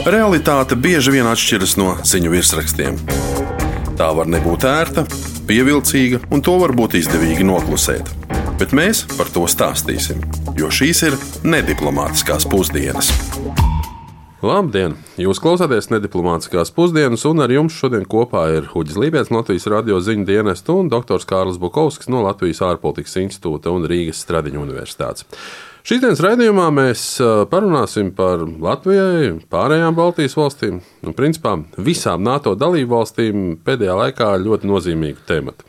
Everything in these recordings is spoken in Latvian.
Realitāte bieži vien atšķiras no ziņu virsrakstiem. Tā var nebūt ērta, pievilcīga, un to var būt izdevīgi noklusēt. Bet mēs par to stāstīsim, jo šīs ir nediplomātiskās pusdienas. Labdien! Jūs klausāties nediplomātiskās pusdienas, un ar jums šodien kopā ir Huģis Lībijams, Latvijas radio ziņu dienesta, un doktors Kārlis Bukovskis no Latvijas ārpolitikas institūta un Rīgas Stradiņu universitātes. Šīs dienas raidījumā mēs parunāsim par Latvijai, pārējām Baltijas valstīm un, principā, visām NATO dalību valstīm pēdējā laikā ļoti nozīmīgu tematu.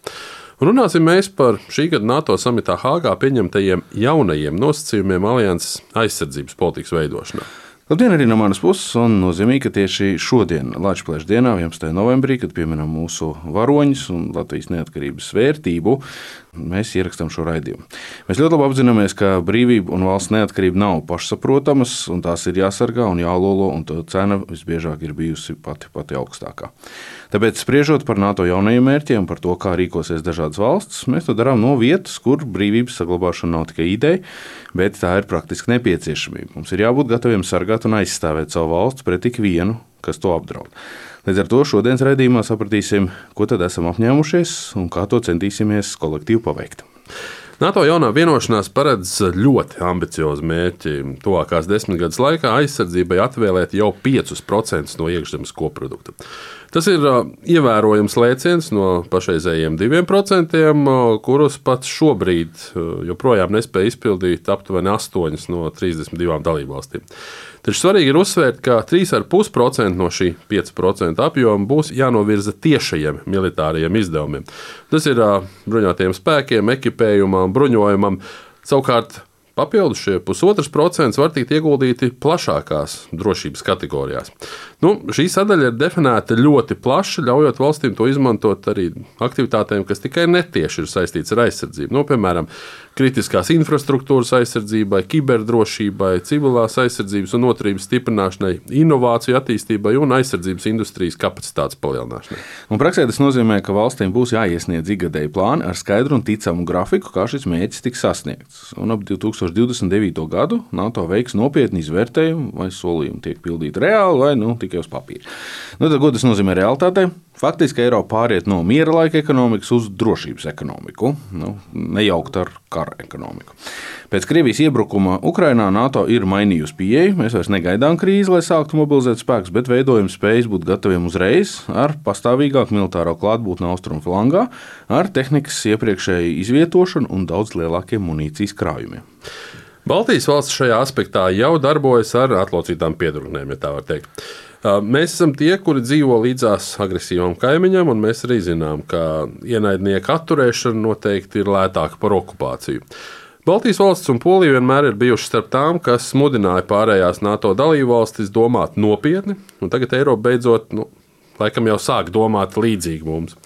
Runāsim mēs par šī gada NATO samitā Hāgā pieņemtajiem jaunajiem nosacījumiem alianses aizsardzības politikas veidošanā. Labdien arī no manas puses, un nozīmīgi, ka tieši šodien, Latvijas dienā, 11. novembrī, kad pieminam mūsu varoņus un Latvijas neatkarības vērtību, mēs ierakstām šo raidījumu. Mēs ļoti labi apzināmies, ka brīvība un valsts neatkarība nav pašsaprotamas, un tās ir jāsargā un jālolo, un to cena visbiežāk ir bijusi pati augstākā. Tāpēc, spriežot par NATO jaunajiem mērķiem, par to, kā rīkosies dažādas valstis, mēs to darām no vietas, kur brīvības saglabāšana nav tikai ideja, bet tā ir praktiski nepieciešamība. Mums ir jābūt gataviem sargāt un aizstāvēt savu valsts pret ikvienu, kas to apdraud. Līdz ar to šodienas raidījumā sapratīsim, ko tad esam apņēmušies un kā to centīsimies kolektīvi paveikt. NATO jaunā vienošanās paredz ļoti ambiciozu mērķi tuvākās 10 gadus laikā aizsardzībai atvēlēt jau 5% no iekšzemes koprodukta. Tas ir ievērojams lēciens no pašreizējiem 2%, kurus pat šobrīd joprojām nespēja izpildīt aptuveni 8 no 32 dalībvalstīm. Taču svarīgi ir uzsvērt, ka 3,5% no šī 5% apjoma būs jānovirza tiešajiem militārajiem izdevumiem. Tas ir bruņotajiem spēkiem, ekipējumam, bruņojumam. Savukārt papildus šie 0,5% var tikt ieguldīti plašākās drošības kategorijās. Šī sadaļa ir definēta ļoti plaši, ļaujot valstīm to izmantot arī aktivitātēm, kas tikai netieši ir saistīts ar aizsardzību. Piemēram, kritiskās infrastruktūras aizsardzībai, kiberdrošībai, civilās aizsardzības un noturības stiprināšanai, inovāciju attīstībai un aizsardzības industrijas kapacitātes palielināšanai. Praksē tas nozīmē, ka valstīm būs jāiesniedz ikgadēji plāni ar skaidru un ticamu grafiku, kā šis mērķis tiks sasniegts. Un ap 2029. gadu NATO veiks nopietni izvērtējumu, vai solījumi tiek pildīti reāli vai tikai uz papīra. Tad, ko tas nozīmē realitātei? Faktiski Eiropa pāriet no miera laika ekonomikas uz drošības ekonomiku, nejaukt ar kara ekonomiku. Pēc Krievijas iebrukuma Ukrainā NATO ir mainījusi pieeju. Mēs vairs negaidām krīzi, lai sāktu mobilizēt spēkus, bet veidojam spējas būt gataviem uzreiz ar pastāvīgāku militāro klātbūtni austrumu flangā, ar tehnikas iepriekšēju izvietošanu un daudz lielākiem munīcijas krājumiem. Baltijas valsts šajā aspektā jau darbojas ar atlocītām piedurknēm, ja tā var teikt. Mēs esam tie, kuri dzīvo līdzās agresīvam kaimiņam, un mēs arī zinām, ka ienaidnieku atturēšana noteikti ir lētāka par okupāciju. Baltijas valsts un Polija vienmēr ir bijušas starp tām, kas mudināja pārējās NATO dalībvalstis domāt nopietni, un tagad Eiropa beidzot, laikam jau sāk domāt līdzīgi mums.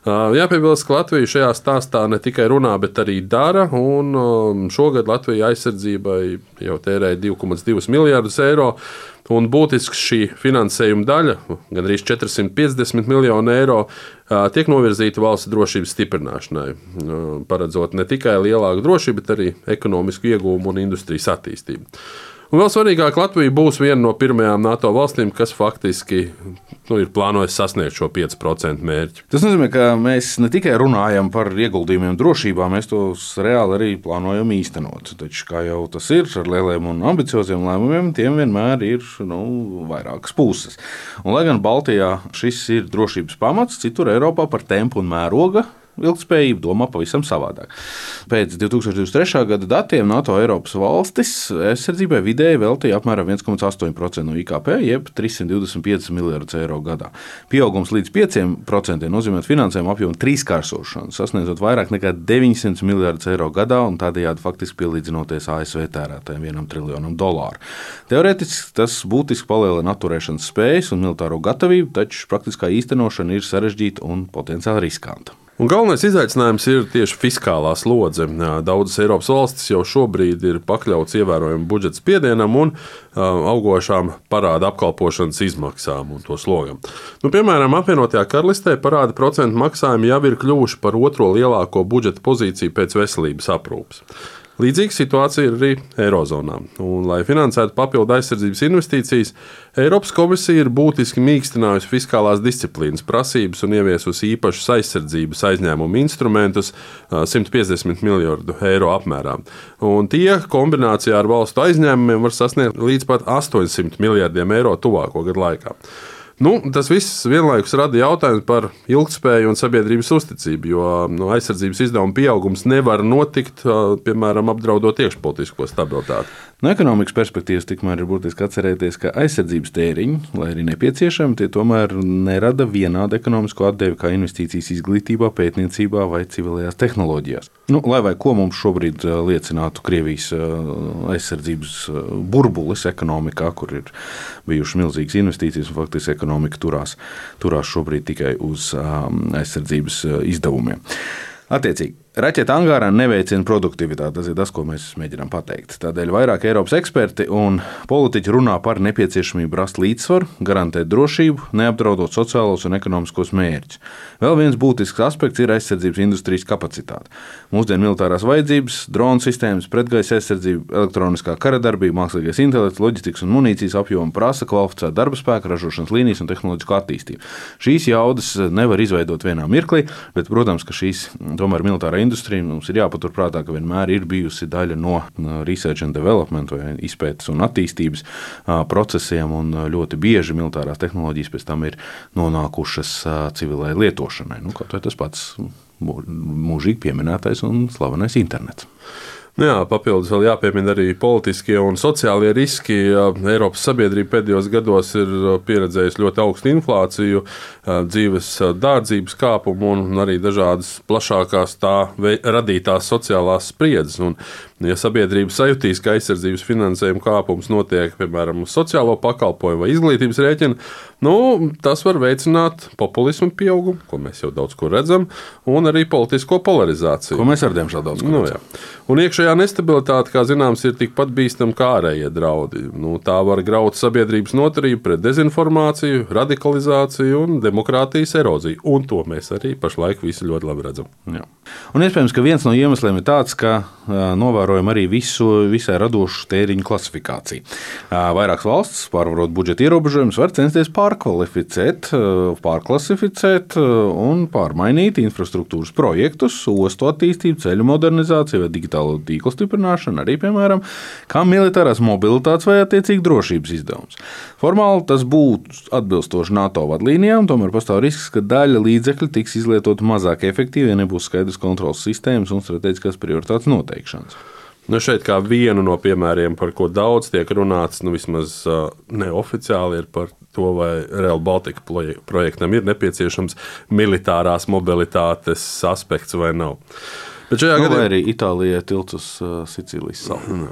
Jāpiebilst, ka Latvija šajā stāstā ne tikai runā, bet arī dara, un šogad Latvija aizsardzībai jau tērēja 2,2 miljardus eiro, un būtisks šī finansējuma daļa, gandrīz 450 miljonu eiro, tiek novirzīta valsts drošības stiprināšanai, paredzot ne tikai lielāku drošību, bet arī ekonomisku iegūmu un industrijas attīstību. Un vēl svarīgāk, Latvija būs viena no pirmajām NATO valstīm, kas faktiski ir plānojis sasniegt šo 5% mērķi. Tas nozīmē, ka mēs ne tikai runājam par ieguldījumiem drošībā, mēs tos reāli arī plānojam īstenot. Taču, kā jau tas ir ar lieliem un ambicioziem lēmumiem, tiem vienmēr ir vairākas puses. Un, lai gan Baltijā šis ir drošības pamats, citur Eiropā par tempu un mēroga ilgspējību domā pavisam savādāk. Pēc 2023. gada datiem NATO Eiropas valstis aizsardzībai vidēji veltīja apmēram 1,8% no IKP, jeb 325 miljardus eiro gadā. Pieaugums līdz 5% nozīmē finansējumu apjomu trīskāršošanu, sasniedzot vairāk nekā 900 miljardus eiro gadā un tādējādi faktiski pielīdzinoties ASV tērētājiem $1 triljonam. Teorētiski tas būtiski palielina atturēšanas spējas un militāro gatavību, taču praktiskā īstenošana ir sarežģīta un potenciāli riskanta. Un galvenais izaicinājums ir tieši fiskālā slodze. Daudzas Eiropas valstis jau šobrīd ir pakļauts ievērojumu budžeta spiedienam un augošām parāda apkalpošanas izmaksām un to slogam. Piemēram, apvienotajā karalistē parāda procentu maksājumi jau ir kļuvuši par otro lielāko budžeta pozīciju pēc veselības aprūpes. Līdzīga situācija ir arī Eirozonā. Un, lai finansētu papildu aizsardzības investīcijas, Eiropas komisija ir būtiski mīkstinājusi fiskālās disciplīnas prasības un ieviesusi īpašus aizsardzības aizņēmumu instrumentus 150 miljardu eiro apmērā. Un tie kombinācijā ar valstu aizņēmumiem var sasniegt līdz pat 800 miljardiem eiro tuvāko gadu laikā. Tas viss vienlaikus rada jautājumu par ilgtspēju un sabiedrības uzticību, jo aizsardzības izdevuma pieaugums nevar notikt, piemēram, apdraudot iekšpolitisko stabilitāti. No ekonomikas perspektīvas tikmēr ir būtiski atcerēties, ka aizsardzības tēriņi, lai arī nepieciešami, tie tomēr nerada vienādu ekonomisko atdevi kā investīcijas izglītībā, pētniecībā vai civilajās tehnoloģijās. Lai vai ko mums šobrīd liecinātu Krievijas aizsardzības burbulis ekonomikā, kur ir bijušas milzīgas investīcijas un faktiski ekonomika turās šobrīd tikai uz aizsardzības izdevumiem. Attiecīgi, raķetu angārā neveicina produktivitāti. Tas ir tas, ko mēs mēģinām pateikt. Tādēļ vairāk Eiropas eksperti un politiķi runā par nepieciešamību rast līdzsvaru, garantēt drošību, neapdraudot sociālos un ekonomiskos mērķus. Vēl viens būtisks aspekts ir aizsardzības industrijas kapacitāte. Mūsdienu militārās vajadzības, dronu sistēmas, pretgaisa aizsardzība, elektroniskā karadarbība, mākslīgais intelekts, loģistikas un munīcijas apjoma prasa kvalificētu darba spēku, ražošanas līnijas un tehnoloģisko attīstību. Šīs jaudas nevar izveidot vienā mirklī, bet, protams, ka šīs tomēr militārā industrija mums ir jāpaturprātā, ka vienmēr ir bijusi daļa no research and development vai izpētes un attīstības procesiem, un ļoti bieži militārās tehnoloģijas pēc tam ir nonākušas civilai lietošanai. Kaut vai tas pats mūžīgi pieminētais un slavenais internets. Papildus vēl jāpiemina arī politiskie un sociālie riski. Eiropas sabiedrība pēdējos gados ir pieredzējusi ļoti augstu inflāciju, dzīves dārdzības kāpumu un arī dažādas plašākās tā radītās sociālās spriedzes. Un, ja sabiedrība sajutīs, ka aizsardzības finansējuma kāpums notiek, piemēram, uz sociālo pakalpojumu vai izglītības rēķina, tas var veicināt populismu pieaugumu, ko mēs jau daudz kur redzam, un arī politisko polarizāciju. Ko mēs ar diemžēl daudz kur redzam. Un iekšējā nestabilitāte, kā zināms, ir tikpat bīstama kā ārējie draudi. Tā var graut sabiedrības noturību pret dezinformāciju, radikalizāciju un demokrātijas eroziju. Un to mēs arī pašlaik visi ļoti labi redzam. Jā. Un iespējams, ka viens no iemesliem ir tāds, ka novērojam arī visai radošu tēriņu klasifikāciju. Vairākas valstis, pārvarot budžeta ierobežojumus, var censties pārklasificēt un pārmainīt infrastruktūras projektus, ostu attīstību, ceļu modernizāciju vai digitālo tīklu stiprināšanu, arī, piemēram, kā militārās mobilitātes vai attiecīgi drošības izdevums. Formāli tas būtu atbilstoši NATO vadlīnijām, tomēr pastāv risks, ka daļa līdzekļu tiks izlietot mazāk efektīvi, ja nebūs skaidrs kontrolas sistēmas un strateģiskās prioritātes noteikšanas. Šeit kā vienu no piemēriem, par ko daudz tiek runāts, vismaz neoficiāli, ir par to, vai Rail Baltica projektam ir nepieciešams militārās mobilitātes aspekts vai nav. Bet vai arī Itālijai tilts uz Sicīlijas salu.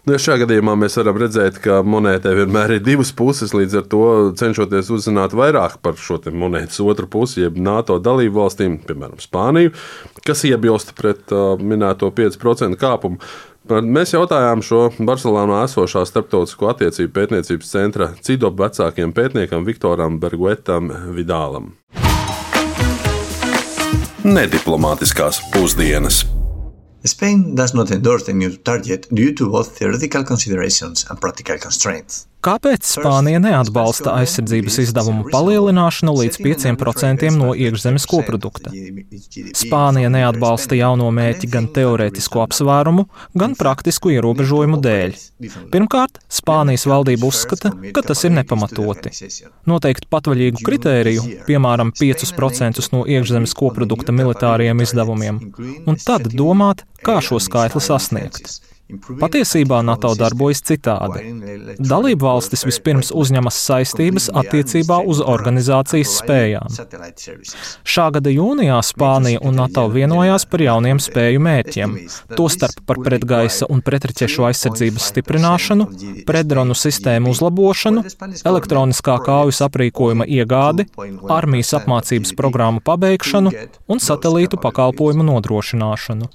Šajā gadījumā mēs varam redzēt, ka monētai vienmēr ir divas puses, līdz ar to cenšoties uzzināt vairāk par šo monētas otru pusi, jeb NATO dalību valstīm, piemēram, Spāniju, kas iebilst pret minēto 5% kāpumu. Mēs jautājām šo Barcelonā esošā starptautisko attiecību pētniecības centra CIDOB vecākiem pētniekam Viktoram Berguetam Vidālam. Nediplomātiskās pusdienas. Spain does not endorse the new target due to both theoretical considerations and practical constraints. Kāpēc Spānija neatbalsta aizsardzības izdevumu palielināšanu līdz 5% no iekšzemes koprodukta? Spānija neatbalsta jauno mērķi gan teorētisku apsvērumu, gan praktisku ierobežojumu dēļ. Pirmkārt, Spānijas valdība uzskata, ka tas ir nepamatoti. Noteikt patvaļīgu kritēriju, piemēram, 5% no iekšzemes koprodukta militāriem izdevumiem, un tad domāt, kā šo skaitli sasniegt. Patiesībā NATO darbojas citādi. Dalību valstis vispirms uzņemas saistības attiecībā uz organizācijas spējām. Šā gada jūnijā Spānija un NATO vienojās par jauniem spēju mērķiem, tostarp par pretgaisa un pretraķešu aizsardzības stiprināšanu, pretdronu sistēmu uzlabošanu, elektroniskā kaujas aprīkojuma iegādi, armijas apmācības programmu pabeigšanu un satelītu pakalpojumu nodrošināšanu.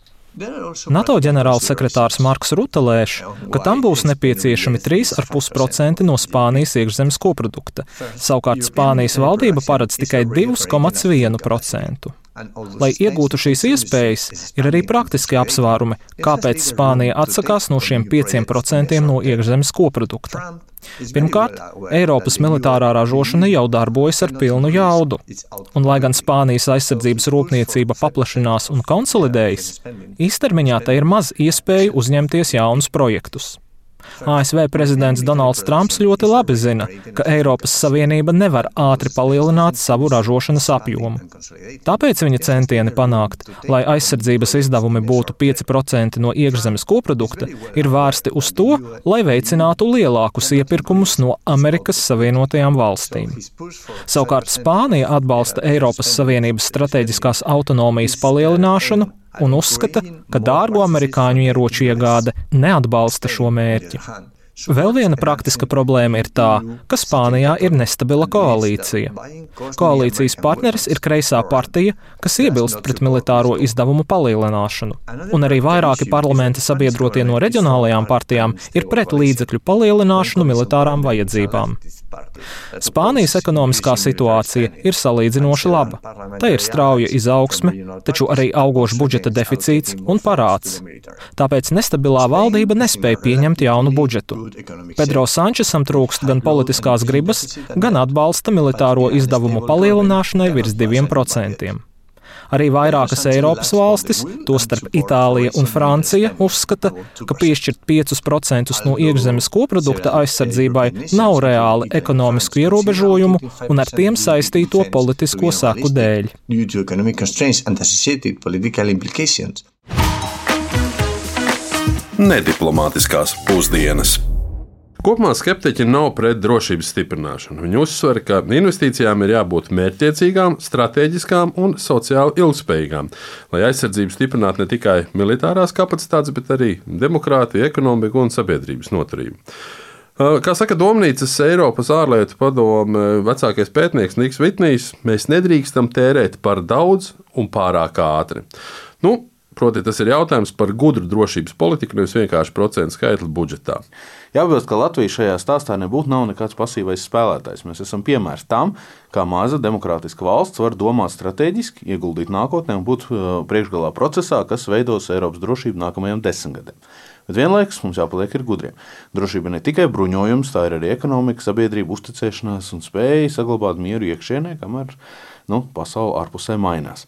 NATO ģenerālsekretārs Marks Rutte lēš, ka tam būs nepieciešami 3,5% no Spānijas iekšzemes koprodukta. Savukārt Spānijas valdība paredz tikai 2,1%. Lai iegūtu šīs iespējas, ir arī praktiski apsvērumi, kāpēc Spānija atsakās no šiem 5% no iekšzemes koprodukta. Pirmkārt, Eiropas militārā ražošana jau darbojas ar pilnu jaudu, un lai gan Spānijas aizsardzības rūpniecība paplašinās un konsolidējas, īstermiņā tai ir maz iespēju uzņemties jaunus projektus. ASV prezidents Donalds Trumps ļoti labi zina, ka Eiropas Savienība nevar ātri palielināt savu ražošanas apjomu. Tāpēc viņa centieni panākt, lai aizsardzības izdevumi būtu 5% no iekšzemes koprodukta, ir vērsti uz to, lai veicinātu lielākus iepirkumus no Amerikas Savienotajām valstīm. Savukārt Spānija atbalsta Eiropas Savienības strateģiskās autonomijas palielināšanu un uzskata, ka dārgo amerikāņu ieroču iegāde neatbalsta šo mērķi. Vēl viena praktiska problēma ir tā, ka Spānijā ir nestabila koalīcija. Koalīcijas partneris ir kreisā partija, kas iebilst pret militāro izdevumu palielināšanu, un arī vairāki parlamenta sabiedrotie no reģionālajām partijām ir pret līdzekļu palielināšanu militārām vajadzībām. Spānijas ekonomiskā situācija ir salīdzinoši laba. Tā ir strauja izaugsme, taču arī augošs budžeta deficīts un parāds. Tāpēc nestabilā valdība nespēja pieņemt jaunu budžetu. Pedro Sančesam trūkst gan politiskās gribas, gan atbalsta militāro izdevumu palielināšanai virs 2%. Arī vairākas Eiropas valstis, tostarp Itālija un Francija, uzskata, ka piešķirt 5% no iekšzemes koprodukta aizsardzībai nav reāli ekonomisku ierobežojumu un ar tiem saistīto politisko seku dēļ. Nediplomātiskās pusdienas. Kopumā skeptiķi nav pret drošības stiprināšanu. Viņi uzsver, ka investīcijām ir jābūt mērķtiecīgām, stratēģiskām un sociāli ilgspējīgām, lai aizsardzību stiprinātu ne tikai militārās kapacitātes, bet arī demokrātiju, ekonomiku un sabiedrības noturību. Kā saka Domnīcas Eiropas ārlietu padome vecākais pētnieks Niks Vitnijs, mēs nedrīkstam tērēt par daudz un pārāk ātri. Proti, tas ir jautājums par gudru drošības politiku, nevis vienkārši procentu skaitli budžetā. Jāpiebilst, ka Latvija šajā stāstā nav nekāds pasīvais spēlētājs. Mēs esam piemērs tam, kā maza demokrātiska valsts var domāt strateģiski, ieguldīt nākotnē un būt priekšgalā procesā, kas veidos Eiropas drošību nākamajiem 10 gadiem. Bet vienlaikus mums jāpaliek gudriem. Drošība ne tikai bruņojums, tā ir arī ekonomika, sabiedrība, uzticēšanās un spēja saglabāt mieru iekšienē, kamēr pasaule ārpusē mainās.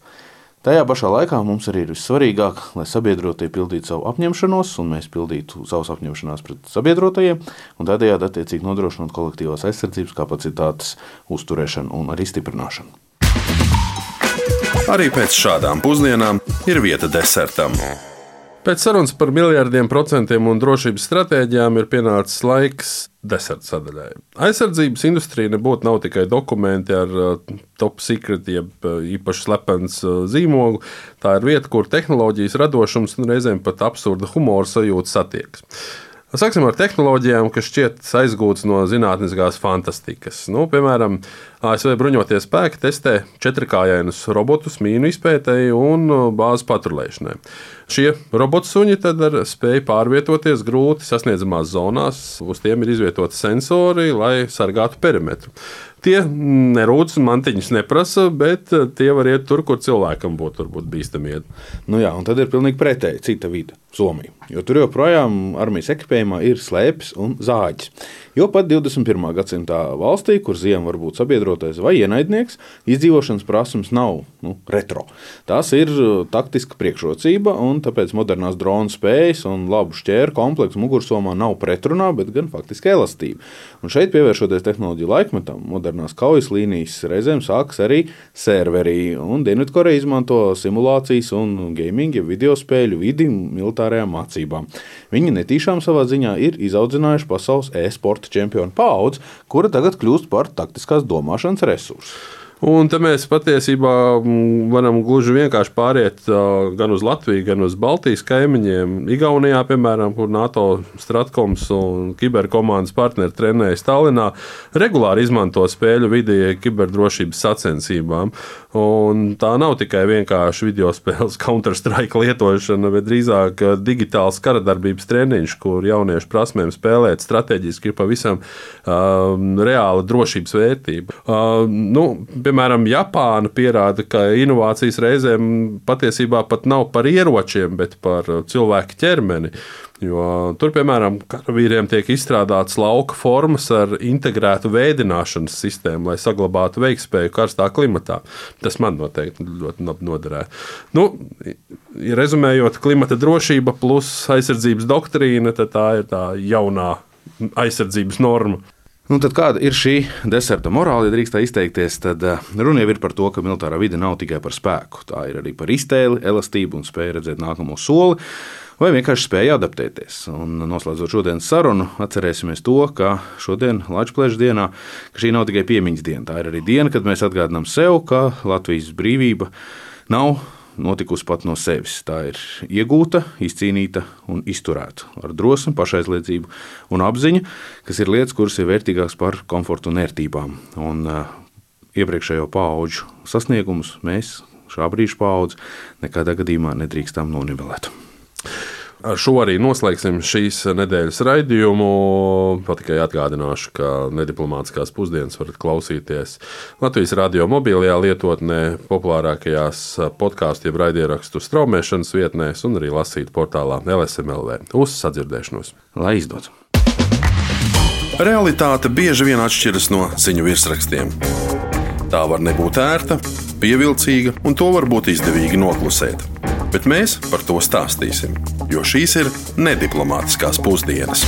Tajā pašā laikā mums arī ir vissvarīgāk, lai sabiedrotie pildītu savu apņemšanos, un mēs pildītu savus apņemšanās pret sabiedrotajiem, un tādējādi attiecīgi nodrošinot kolektīvās aizsardzības kapacitātes uzturēšanu un arī stiprināšanu. Arī pēc šādām pusdienām ir vieta desertam. Pēc sarunas par miljardiem procentiem un drošības stratēģijām ir pienācis laiks deserta sadaļai. Aizsardzības industrija nebūtu nav tikai dokumenti ar top secret, jeb īpaši slepens zīmogu. Tā ir vieta, kur tehnoloģijas radošums un reizēm pat absurda humora sajūta satiekas. Sāksim ar tehnoloģijām, kas šķiet aizgūtas no zinātniskās fantastikas. Piemēram, ASV bruņotie spēki testē 4-kājainus robotus mīnu izpētēji un bāzes patrulēšanai. Šie robotsuņi tad ar spēju pārvietoties grūti sasniedzamās zonās, uz tiem ir izvietoti sensori, lai sargātu perimetru. Tie nerūdas un mantiņus neprasa, bet tie var iet tur, kur cilvēkam būtu varbūt bīstami iet. Un tad ir pilnīgi pretēji cita vide, Somija. Jo tur joprojām armijas ekipējumā ir slēpes un zāģis. Jo pat 21. gadsimtā valstī, kur ziema var būt sabiedrotais vai ienaidnieks, izdzīvošanas prasmes nav retro. Tās ir taktiska priekšrocība, un tāpēc modernās drona spējas un labu šķēru kompleksu mugursomā nav pretrunā, bet gan faktiski elastība. Un šeit, pievēršoties tehnoloģiju laikmetam, modernās kaujas līnijas reizēm sākas arī serverī, un Dienvidkoreja izmanto simulācijas un gaming, ja video spēļu vidi militārajām mācībām. Viņi netīšām savā ziņā ir izaudzinājuši pasaules e-sporta čempionu paudzi, kura tagad kļūst par taktiskās domāšanas resursu. Un te mēs patiesībā varam gluži vienkārši pāriet gan uz Latviju, gan uz Baltijas kaimiņiem. Igaunijā, piemēram, kur NATO Stratkoms un kiberkomandas partneri trenējas Tallinā, regulāri izmanto spēļu vidi kiberdrošības sacensībām. Un tā nav tikai vienkārši video spēles Counter-Strike lietošana, bet drīzāk digitāls karadarbības treniņš, kur jauniešu prasmēm spēlēt strateģiski ir pavisam reāla drošības vērtība. Piemēram, Japāna pierāda, ka inovācijas reizēm patiesībā pat nav par ieročiem, bet par cilvēku ķermeni. Jo tur, piemēram, karavīriem tiek izstrādātas lauka formas ar integrētu vēdināšanas sistēmu, lai saglabātu veiktspēju karstā klimatā. Tas man noteikti ļoti noderētu. Nu, ja rezumējot, klimata drošība plus aizsardzības doktrīna, tad tā ir tā jaunā aizsardzības norma. Nu, tad kāda ir šī deserta morāla, ja drīkst tā izteikties, tad runa jau ir par to, ka militārā vide nav tikai par spēku. Tā ir arī par iztēli, elastību un spēju redzēt nākamo soli, vai vienkārši spēja adaptēties. Un noslēdzot šodienas sarunu, atcerēsimies to, ka šodien, Lačplēša dienā, ka šī nav tikai piemiņas diena. Tā ir arī diena, kad mēs atgādinām sev, ka Latvijas brīvība nav notikusi pat no sevis. Tā ir iegūta, izcīnīta un izturēta ar drosmi, pašaizliedzību un apziņu, kas ir lietas, kuras ir vērtīgākas par komfortu un ērtībām. Un iepriekšējo paudžu sasniegumus mēs, šā brīža paudze, nekādā gadījumā nedrīkstam nonivelēt. Ar šo arī noslēgsim šīs nedēļas raidījumu. Tikai atgādināšu, ka nediplomātiskās pusdienas varat klausīties Latvijas radio mobilajā lietotnē, populārākajās podkāstu jeb raidierakstu straumēšanas vietnēs un arī lasīt portālā LSM.LV. Uz sadzirdēšanos! Lai izdodas! Realitāte bieži vien atšķiras no ziņu virsrakstiem. Tā var nebūt ērta, pievilcīga, un to var būt izdevīgi noklusēt. Bet mēs par to stāstīsim, jo šīs ir nediplomātiskās pusdienas.